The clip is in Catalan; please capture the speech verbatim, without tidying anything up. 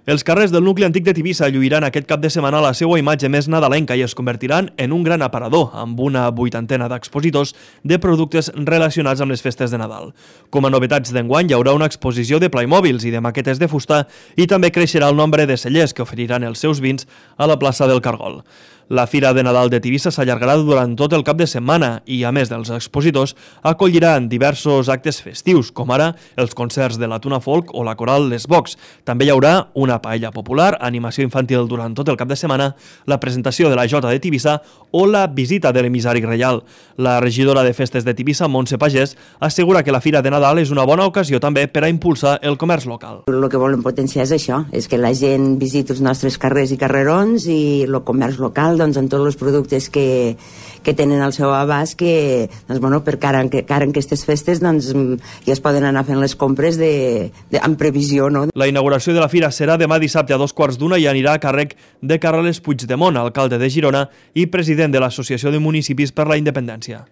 Els carrers del nucli antic de Tivissa lluiran aquest cap de setmana la seva imatge més nadalenca i es convertiran en un gran aparador, amb una vuitantena d'expositors de productes relacionats amb les festes de Nadal. Com a novetats d'enguany hi haurà una exposició de Playmobils i de maquetes de fusta i també creixerà el nombre de cellers que oferiran els seus vins a la plaça del Cargol. La Fira de Nadal de Tivissa s'allargarà durant tot el cap de setmana i, a més dels expositors, acolliran diversos actes festius, com ara els concerts de la Tuna Folk o la coral Les Bocs. També hi haurà una paella popular, animació infantil durant tot el cap de setmana, la presentació de la Jota de Tivissa o la visita de l'emissari reial. La regidora de Festes de Tivissa, Montse Pagès, assegura que la Fira de Nadal és una bona ocasió també per a impulsar el comerç local. El que volem potenciar és això, és que la gent visiti els nostres carrers i carrerons i el comerç local, doncs, en tots els productes que, que tenen al seu abast, que, doncs, bueno, per cara en, cara en aquestes festes, doncs, ja es poden anar fent les compres de, de, en previsió, no? La inauguració de la Fira serà demà dissabte a dos quarts d'una i anirà a càrrec de Carles Puigdemont, alcalde de Girona i president de l'Associació de Municipis per la Independència.